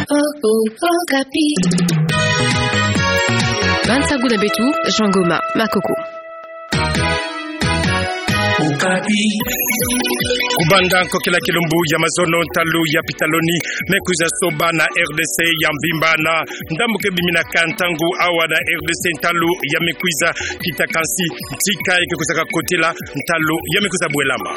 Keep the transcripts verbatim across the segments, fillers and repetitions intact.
Oh, oh, Okapi. Bansaku na beto, Jean Goma, Makoko. Okapi. Kubanda nkokila kilumbu ya mazono, ntalu ya pitaloni me kwiza soba na R D C ya mvimba na ndambu ke biminaka ntangu awa na R D C, ntalu ya me kwiza kita kansi ntika eke kwizaka kotila, ntalu ya me kwiza bwelama.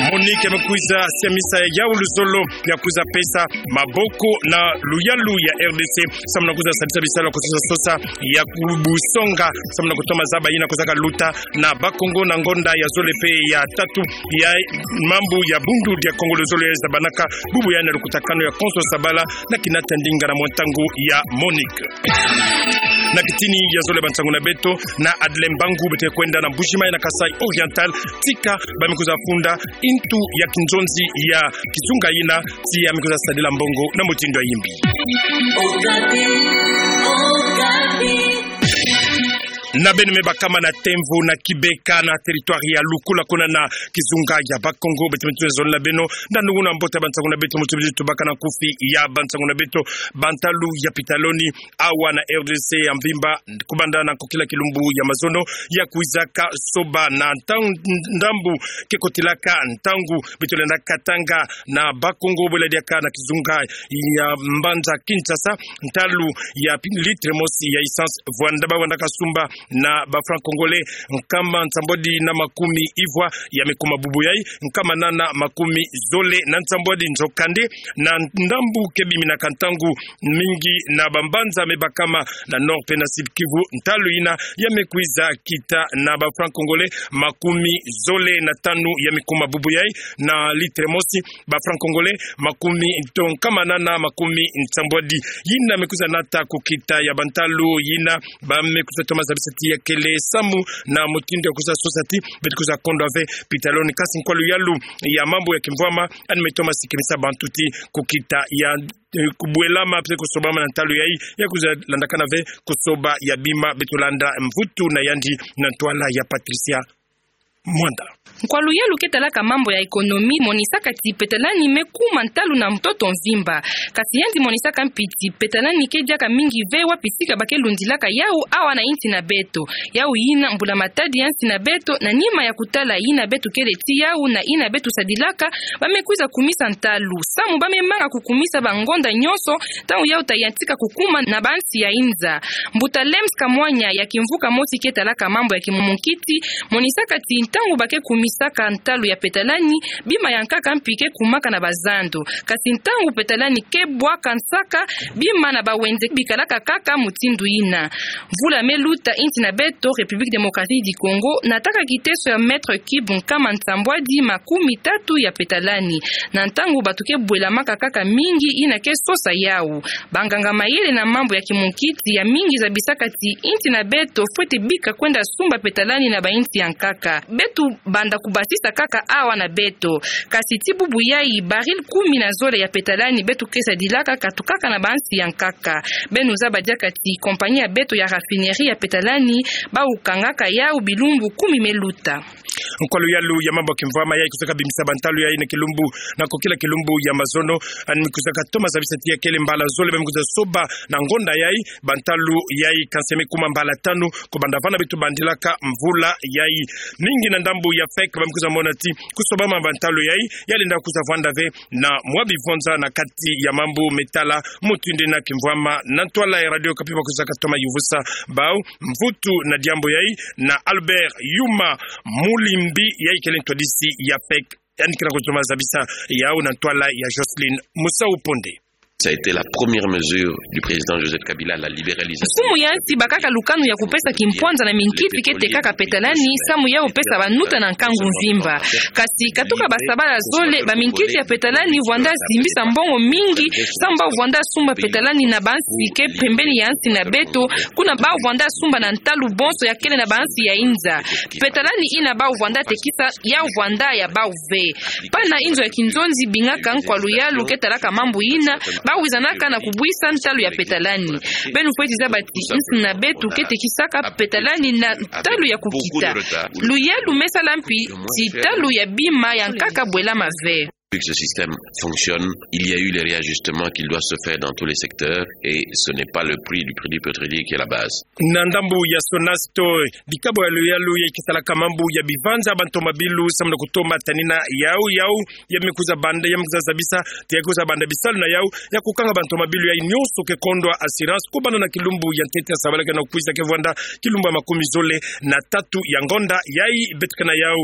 MONUC me kwiza siamisa yawu luzolo ya kwiza pesa maboko na luyalu ya R D C samu na kwiza sadisa bisalu ya kusosa-sosa ya kubusonga samu na kutoma zaba yina kwizaka luta na Bas-Congo na ngonda ya zole pe ya tatu ya mambu ya Bundu dia Kongo, luzolo ya zabanaka bubu yandi na lukutakanu ya Konso Sabala na kinata ndinga na mwa ntangu ya MONUC. Na kitini ya zole ya bansangu na beto, na Adeline Mbangu, beto ke kwenda na Mbuji-Mayi na Kasaï Oriental, tika ba me kwiza funda ntu ya kinzonzi ya kizunga yina, tii ya me kwiza sadila mbongo na mutindu ya yimbi. Okapi, Okapi. Na beno me bakama na Temvo na Kibeka na territoire ya Lukula, kuna na kizunga ya Bas-Congo, beto me tuna zole na beno na nungunu mbote ya bansangu na beto, mutu bizi tubaka na nkufi ya bansangu na beto. Bantalu ya pitaloni awa na R D C ya mvimba, kubanda na nkokila kilumbu ya mazono, ya kwizaka soba na ntan-, ndambu ke kotilaka ntangu beto lenda katanga na Bas-Congo, bwela diaka na kizunga ya mbanza Kinshasa, ntalu ya pi-, litre mosi ya essence vwanda, ba vwandaka sumba na ba francs congolais nkama nsambwadi na makumi ivwa, ya me kuma bubu yayi nkama nana makumi zole na nsambwadi. Nzokande, na ndambu ke biminaka ntangu mingi na bambanza me bakama na Nord pe na Sud-Kivu, ntalu yina ya me kwiza kita na ba francs congolais makumi zole na tanu, ya me kuma bubu yayi na litre mosi, ba francs congolais makumi, to, nkama nana makumi nsambwadi. Yina me kwiza nata kukita ya bantalu yina, ba me kwiza toma zabisa ti ya kele samu na mutindu ya kwiza sosa ti beto kwiza kondwa ve pitaloni. Kasi nkwa luyalu ya mambu ya kimvwama yandi me toma sikimisa bantu ti kukita ya, eh, kubwelama pe kusobama na ntalu yayi, ya kwiza landakana ve kusoba ya bima, beto landa mvutu na yandi na ntwala ya Patricia Mwanda. Nkwa luyalu ke talaka mambu ya économie monisaka ti petalani me kuma ntalu na ntoto mvimba. Kasi yandi monisaka mpi ti petalani ke diaka mingi ve wapi sika ba ke lundilaka yawu awa na insi na beto. Yawu yina mbula-matadi ya insi na beto, na nima ya kutala yina beto kele ti yawu na yina beto sadilaka, ba me kwiza kumisa ntalu samu ba me manga kukumisa bangonda nyonso, ntangu yawu ta yantika kukuma na bansi ya inza. Mbuta Lems Kamwanya ya kimvuka mosi ke talaka mambu ya kimunkiti monisaka ti ntangu ba ke kumisaka ntalu ya petalani, bima ya nkaka mpi ke kumaka na bazando. Kasi ntangu petalani ke bwaka nsaka, bima na bawenze bikalaka kaka mutindu yina. Mvula me luta, insi na beto République Démocratique du Congo nataka kiteso ya mètre cube nkama nsambwadi makumi tatu ya petalani. Na ntangu bato ke bwelamaka kaka mingi, yina ke sosa yawu. Banganga-mayele na mambu ya kimunkiti ya mingi zabisaka ti insi na beto fwete bika kwenda sumba petalani na bainsi ya nkaka. Beto banda kubasisa kaka awa na beto. Kasi ti bubu yayi, baril kumi na zole ya petalani beto ke sadilaka katukaka na bansi ya nkaka. Beno zaba diaka ti compagnie ya beto ya raffinerie ya petalani, bawu kangaka yawu bilumbu kumi me luta. Nkwa luyalu ya mambu ya kimvwama yayi kwizaka bimisa bantalu yayi na kilumbu, na nkokila kilumbu ya mazono, yandi me kwizaka toma zabisa ti ya kele mbala zole ba me kwiza soba na ngonda yayi, bantalu yayi kansi me kuma mbala tanu, kubanda vana beto bandilaka mvula yayi. Mingi na ndambu ya FEC ba me kwiza mona ti kusobama bantalu yayi, ya lenda kwiza vwanda ve na mwa bivonza na kati ya mambu me tala mutindu na kimvwama. Na ntwala ya Radio Okapi ba kwizaka toma yuvusa bawu mvutu na diambu yayi na Albert Yuma Mulimbi, yayi kele ntwadisi ya FEC. Yandi kena kutoma zabisa yawu na ntwala ya Jocelyne Musau Ponde. Ça a été la première mesure du président Joseph Kabila, la libéralisation. Nkumu ya nsi bakaka lukanu ya kupesa kimpwanza na minkiti ke tekaka petalani, samu ya kupesa banuta na nkangu mvimba. Kasi katuka basabala zole, baminkiti ya petalani vwanda zimbisa mbongo mingi, samu ba vwanda sumba petalani na bansi ke pembeni ya nsi na beto, kuna ba vwanda sumba na ntalu bonso ya kele na bansi ya inza. Petalani yina ba vwanda tekisa ya vwanda ya bawu ve. Pana inzo ya kinzonzi bingaka nkwa luyalu ke talaka mambu yina, ba wizanaka na kubwisa ntalu ya petalani. Beno fweti zaba ti nsi na beto ke tekisaka petalani na ntalu ya kukita. Luyalu me sala mpi ti ntalu ya bima ya nkaka bwelama ve. Depuis que ce système fonctionne, il y a eu les réajustements qu'il doit se faire dans tous les secteurs et ce n'est pas le prix du crédit pétrolier qui est la base. Na ndambu ya SONAS to dikabo ya luyalu yayi kisalaka mambu ya bivanza bantomabilu samu na kutoma tanina yau yau, ya me kwiza banda, ya me kwiza zabisa, ti ya kwiza banda bisalu na yau, ya kukanga bantomabilu yayi nyonso ke kondwa assurance, kubanda na kilumbu ya ntete ya sabala ke na kwiza ke vwanda kilumbu ya makumi zole na tatu ya ngonda yayi, beto ke na yau.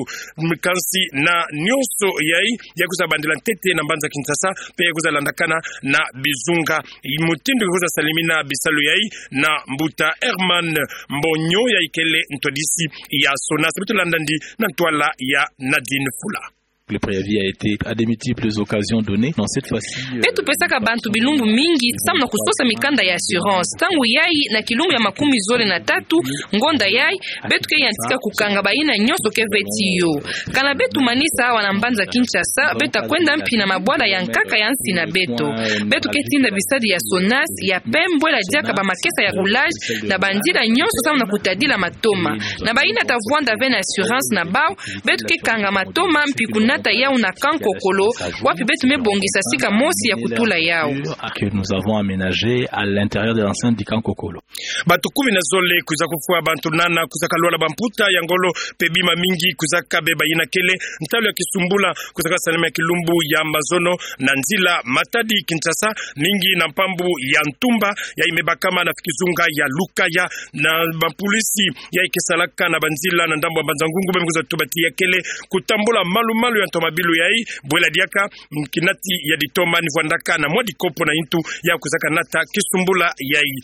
Kansi na nyonso yayi, ya kwiza bandila ntete na mbanza Kinshasa, pe ya kwiza landakana na bizunga. Mutindu ke kwiza salimina bisalu yayi na mbuta Herman Mbonyo, yayi kele ntwadisi ya SONAS. Beto landa ndi na ntwala ya Nadine Fula. Le préavis a été à de multiples occasions donné. Non, cette fois-ci, euh, beto pesaka bantu bilumbu mingi samu na kusosa mikanda ya assurance. Ntangu yayi, na kilumbu ya makumi zole na tatu ngonda yayi, beto ke yantika kukanga bayina nyonso ke veti yo. Kana beto manisa awa na mbanza Kinshasa, beto ta kwenda mpi na mabwala ya nkaka ya nsi na beto. Beto ke tinda bisadi ya SONAS ya pembo bwela diaka bamakesa ya roulage na banzila nyonso samu na kutadila matoma. Na bayina ta vwanda ve na assurance na bau, beto ke kanga matoma mpi kunata yau na Kankokolo, wapi beto me bongisa sika mosi ya kutula yau. Que nous avons aménagé à l'intérieur de l'enceinte du Kankokolo. Bantu kumi na zole kwiza kufwa, bantu nana kwiza kalwala bamputa ya ngolo, pe bima mingi kwiza kabeba. Yina kele ntalu ya kisumbula kwiza kasalama ya kilumbu ya mazono na nzila Matadi Kinshasa, mingi na mpambu ya ntumba yayi me bakama na kizunga ya Lukaya. Na bampolisi yayi ke salaka na banzila na ndambu ya Mbanza-Ngungu, ba me kwiza tuba ti ya kele kutambula malu-malu ya ntomabilu yayi, bwela diaka, mm, kinati ya ditoma ni vwandaka na mwa dikopo na yintu ya kwiza kanata kisumbula yayi.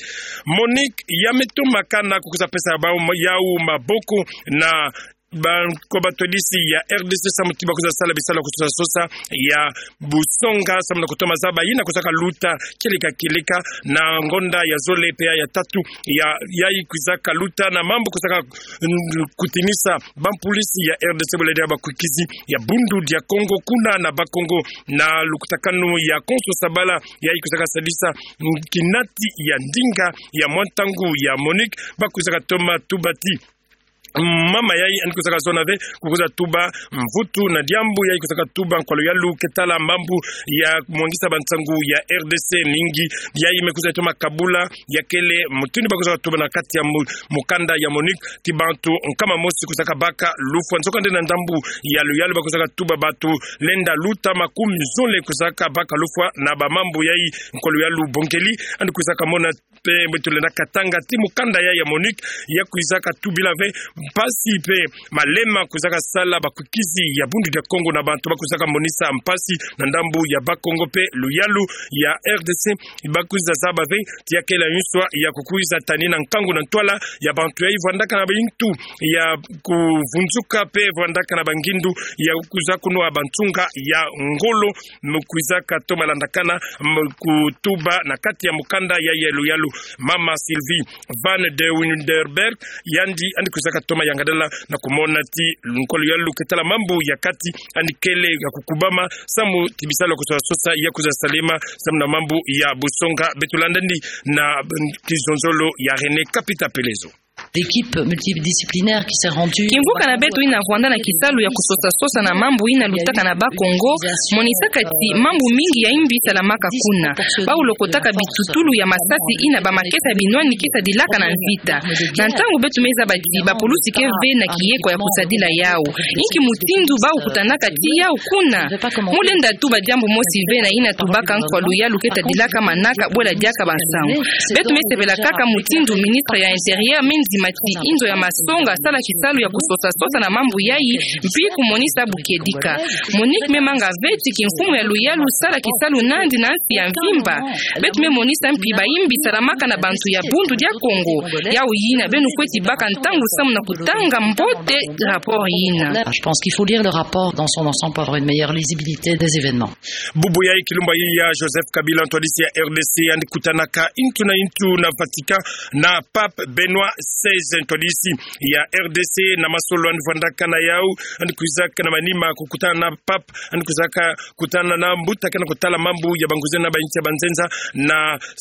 MONUC ya me toma kana kukwiza pesa bau ma-, yau maboko na ba-, ko batwadisi ya R D C samu ti ba kwiza sala bisalu ya kusosa-sosa ya busonga samu na kutoma zaba yina kwiza kaluta kieleka-kieleka na ngonda ya zole pe ya tatu ya, yayi kwiza kaluta na mambu kwiza ka-, mm, kutinisa bampolisi ya R D C bwela diaka bakwikizi ya Bundu dia Kongo kuna na Bakongo, na lukutakanu ya Konso Sabala yayi kwiza kasadisa, mm, kinati ya ndinga ya mwa ntangu ya MONUC. Ba kwiza katoma tuba ti mama yayi yandi kwiza kazona ve, kukwiza tuba mvutu na diambu yayi kwiza katuba nkwa luyalu ke tala mambu ya mwangisa bansangu ya R D C mingi. Yayi me kwiza toma kabula ya kele mutindu ba kwiza katuba na kati ya mu-, mukanda ya MONUC ti bantu nkama mosi kwiza kabaka lufwa. Nzokande na ndambu ya luyalu ba kwiza katuba bantu lenda luta makumi zole kwiza kabaka lufwa na bamambu yayi nkwa luyalu bongeli. Yandi kwiza kamona pe mbo tulenda katanga ti mukanda yayi ya MONUC ya kwiza katubila ve mpasi pe malema kwiza kasala bakwikizi ya Bundu dia Kongo na bantu ba kwiza kamonisa mpasi na ndambu ya Bakongo pe luyalu ya R D C. Ba kwiza zaba ve ti ya kele yinso ya kukwiza tanina nkangu na ntwala ya bantu yayi vwandaka na bayintu ya kuvunzuka pe vwandaka na bangindu ya kwiza kunwa bansunga ya ngolo. Mu kwiza katoma landakana, mu kutuba na kati ya mukanda yayi ya luyalu, mama Sylvie van de Winderberg, yandi, yandi kwiza katoma yangadala na kumona ti nkwa luyalu ke tala mambu ya kati, yandi kele ya kukubama samu ti bisalu ya kusosa-sosa ya kwiza salema samu na mambu ya busonga. Beto landa ndi na, mm, kizonzolo ya René Kapita Pelezo. L'équipe multidisciplinaire qui s'est rendue. Kimvuka na beto yina vwanda na kisalu ya kusosa-sosa na mambu yina lutaka na Bakongo, monisaka ti mambu mingi ya yimbi salamaka kuna. Ba lokotaka bitutulu ya masasi yina bamakesa binwani ke sadilaka na mvita. Na ntangu beto me zaba ti bapulusi ke ve na kiyeko ya kusadila yau, inki mutindu ba kutanaka ti yau kuna? Mu lenda tuba diambu mosi ve na yina tubaka nkwa luyalu ke tadilaka manaka bwela diaka bansangu. Beto me sepela kaka mutindu ministre ya Intérieur me ndima ti inzo ya masonga asala kisalu ya kusosa-sosa na mambu yayi, mpi kumonisa bukedika. MONUC me manga ve ti kimfumu ya luyalu sala kisalu nandi na nsi ya mvimba. Beto me monisa mpi bayimbi salamaka na bantu ya Bundu dia Kongo. Yau yina beno kwe ti baka ntangu samu na kutanga mbote rapport yina. Je pense qu'il faut lire le rapport dans son ensemble pour avoir une meilleure lisibilité des événements. Bubu yayi kilumbu yayi ya Joseph Kabila, ntwadisi ya R D C, yandi kutanaka yintu na yintu na Vatican na Pape Benoît seize. Eze ntwadisi ya R D C na masolo yandi vwandaka na yau, yandi kwizaka na manima kukutana na pape, yandi kwizaka kutana na mbuta kena kutala mambu ya banguza na bainsi ya banzenza na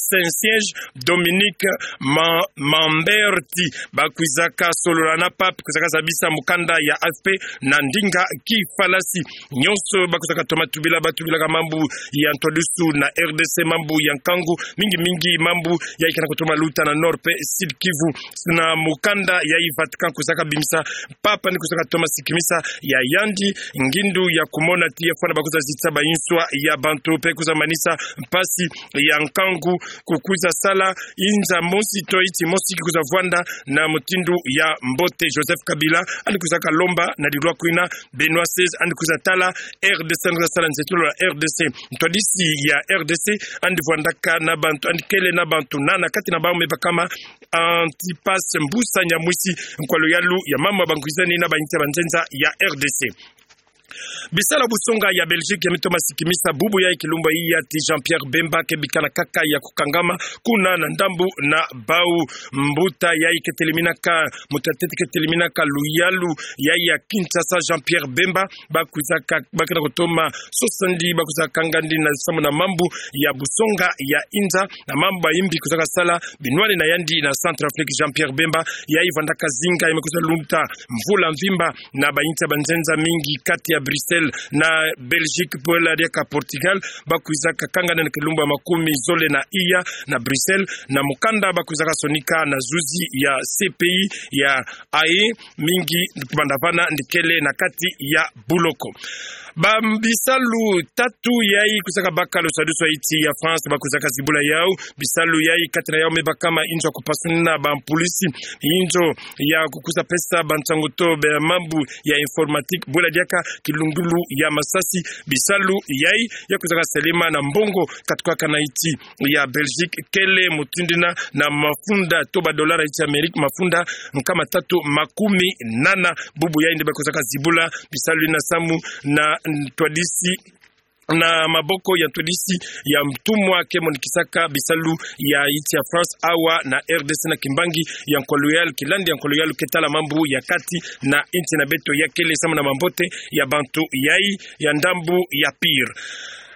Saint-Siège, Dominique Ma-, Mamberti. Bakwizaka solola na pape, kwizaka zabisa mukanda ya A F P na ndinga kifalasi. Nyonso bakwizaka toma tubila, batubilaka mambu ya ntwadisi na R D C, mambu ya nkangu, mingi mingi mambu yayi kena kutoma luta na Nord pe Sud Kivu. Na mukanda yayi Vatican kwizaka bimisa, pape yandi kwizaka toma sikimisa ya yandi ngindu ya kumona ti ya fwana bakwiza zitisa bainswa ya bantu pe kwiza manisa mpasi ya nkangu kukwiza sala inza mosi to iti mosi kikwiza vwanda na mutindu ya mbote. Joseph Kabila yandi kwizaka lomba na dilwa kwina Benoît seize yandi kwiza tala R D C, yandi kwiza sala nzetolo ya R D C. Ntwadisi ya R D C yandi vwandaka na bantu, yandi kele na bantu nana, kati na bau me bakama Antipas Mbusa Nyamwisi, nkwa luyalu ya mama bangwizani na bainsi ya banzenza ya R D C. Bisalu ya busonga ya Belgique ya mitoma sikimisa bubu yayi kilumbu ya ti Jean-Pierre Bemba ke bikana kaka ya kukangama kuna na ndambu na bau. Mbuta yayi keteleminaka, mutatete keteleminaka luyalu yayi ya Kinshasa, Jean-Pierre Bemba, bakwizaka, bakena kutoma sosandi, bakwizaka kangandi na samu na mambu ya busonga ya inza, na mambu bayimbi kwizaka sala binwani na yandi na Centrafrique. Jean-Pierre Bemba yayi vwandaka zinga, yayi me kwiza luta mvula mvimba na bainsi ya banzenza mingi, kati ya Bruxelles na Belgique, bwela diaka Portugal, bakwizaka kangana na kilumbu ya makumi zole na iya na Bruxelles, na mukanda bakwizaka sonika na zuzi ya C P I ya Haye, mingi kubanda vana yandi kele na kati ya buloko. Ba bisalu tatu yayi kwizaka baka lusadisu ya insi ya France bakwizaka zibula yau. Bisalu yayi kati na yau me bakama inzo ya kupasunina bampulisi, inzo ya kukwiza pesa bansangu to be mambu ya informatique, bwela diaka kilungulu ya masasi. Bisalu yayi ya kwizaka selema na mbongo katukaka na insi ya Belgique, kele mutindu yina na mafunda to ba dollar ya insi ya Amérique, mafunda nkama tatu makumi nana. Bubu yayi yandi bakwizaka zibula bisalu yina samu na ntwadisi, na maboko ya ntwadisi ya ntumwa ke monikisaka bisalu ya insi ya France awa na R D C na kimbangi ya nkwa luyalu, kilandi ya nkwa luyalu ke tala mambu ya kati na insi na beto, ya kele samu na mambote ya bantu yayi ya ndambu ya Pire.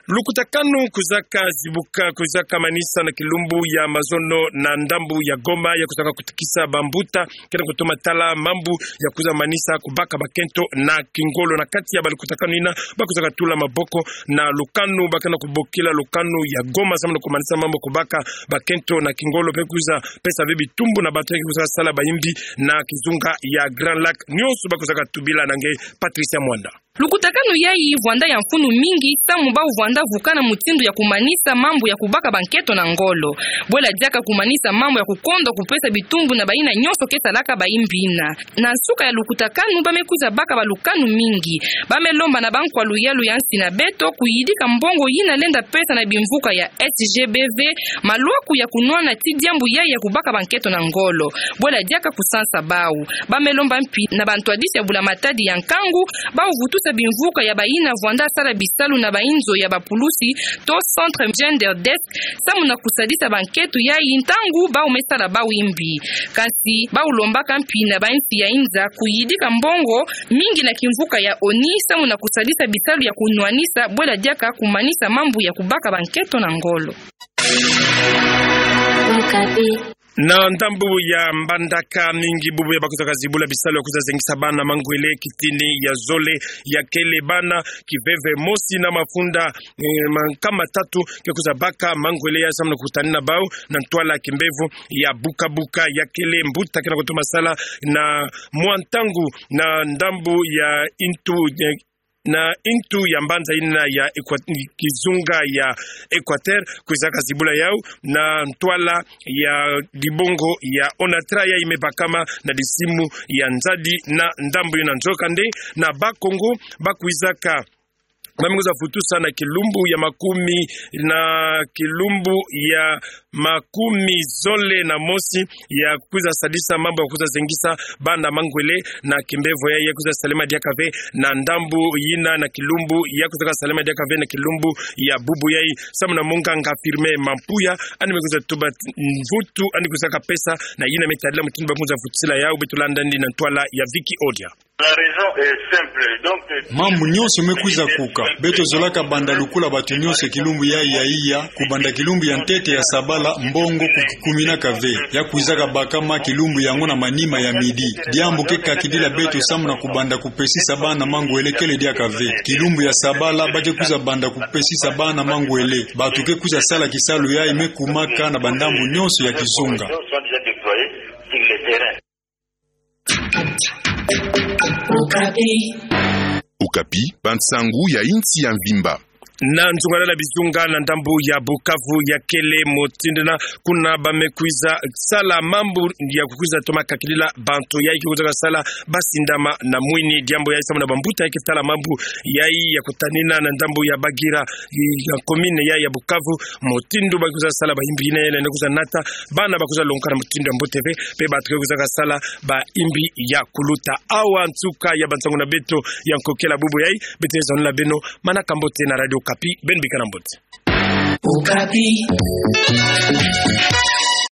Lukutakanu kwizaka zibuka, kwizaka manisa na kilumbu ya mazono na ndambu ya Goma, ya kwizaka kutikisa bambuta kena kutoma tala mambu ya kwiza manisa kubaka bakento na kingolo. Na kati ya balukutakanu yina, bakwizaka tula maboko na lukanu bakena kubokila lukanu ya Goma samu na kumanisa mambu kubaka bakento na kingolo, pe kwiza pesa ve bitumbu na bantu ya kwiza sala bayimbi na kizunga ya Grand Lac. Nyonso bakwizaka tubila na nge Patricia Mwanda. Lukutakanu yayi vwanda ya mfunu mingi, samu bau vwanda vukana mutindu ya kumanisa mambu ya kubaka bankento na ngolo. Bwela diaka kumanisa mambu ya kukondwa kupesa bitumbu na bayina nyonso ke salaka bayimbi yina. Na nsuka ya lukutakanu, ba me kwiza baka balukanu mingi. Ba me lomba na bankwa luyalu ya nsi na beto kuyidika mbongo yina lenda pesa na bimvuka ya S G B V, malwaku ya kunwana ti diambu yayi ya kubaka bankento na ngolo. Bwela diaka kusansa bau. Ba me lomba mpi na bantwadisi ya bula matadi ya nkangu, bau vutusa bimvuka ya bayina vwanda sala bisalu na bainzo ya bapulusi, to centre gender desk, samu na kusadisa bankento yayi ntangu bau me sala bau yimbi. Kansi, bau lombaka mpi na bainsi ya inza kuyidika mbongo mingi na kimvuka ya ONU, samu na kusadisa bisalu ya kunwanisa, bwela diaka kumanisa mambu ya kubaka bankento na ngolo. Na ndambu ya Mbandaka, mingi bubu ya bakwizaka zibula bisalu ya kwiza zengisa bana mangwele kitini ya zole, ya kele bana kiveve mosi na mafunda, eh, ma-, nkama tatu, ke kwiza baka mangwele ya samu na kutanina bau na ntwala kimbevo ya Buka Buka. Ya kele mbuta kena kutoma sala na mwa ntangu na ndambu ya intu, eh, na intu ya mbanza yina ya Equa-, kizunga ya Equateur, kwizaka zibula yau na ntwala ya dibongo ya Onatra, yayi me bakama na disimu ya nzadi na ndambu yina. Nzokande, na Bas-Congo, bakwizaka ba me kwiza futusa na kilumbu ya makumi, na kilumbu ya makumi zole na mosi, ya kwiza sadisa mambu ya kwiza zengisa bana mangwele na kimbevo yai, ya kwiza salema diaka ve na ndambu yina na kilumbu, ya kwiza ka salema diaka ve na kilumbu ya bubu yai, samu na munganga Firmin Mampuya, yandi me kwiza tuba mvutu yandi kwiza ka pesa, na yina me tadila mutindu ba me kwiza futisila yau. Beto landa yandi na ntwala ya Vicky Odia. La raison est simple. Donc, euh, mambu nyonso me kwiza kuka. Beto zolaka banda lukula bato nyonso kilumbu yai ya iya, kubanda kilumbu ya ntete ya sabala mbongo kukikumina kave. Ya kwizaka bakama kilumbu yango na manima ya midi. Diambu ke kakidila beto samu na kubanda kupesisa bana mangwele kele diaka ve. Kilumbu ya sabala ba ke kwiza banda kupesisa bana mangwele. Bato ke kwiza sala kisalu yai me kumaka na bandambu nyonso ya kizunga. Okapi, bansangu ya insi ya mvimba. Na nzungalala bizunga na ndambu ya Bukavu ya kele mutindu yina, kuna ba me kwiza sala mambu ya kukwiza toma kakidila bantu yai ke kwiza kasala basindama na mwini. Diambu yai samu na bambuta yai ke tala mambu yai ya kutanina na ndambu ya Bagira, ya commune yai ya Bukavu, mutindu ba kwiza sala bayimbi yina yele na kwiza nata bana ba kwiza longoka na mutindu ya mbote ve, pe bato ke kwiza kasala bayimbi ya kuluta. Awa nsuka ya bansangu na beto ya nkokela bubu yai. Beto zonela beno manaka mbote na Radio Okapi, beno bikana mbote. Okapi.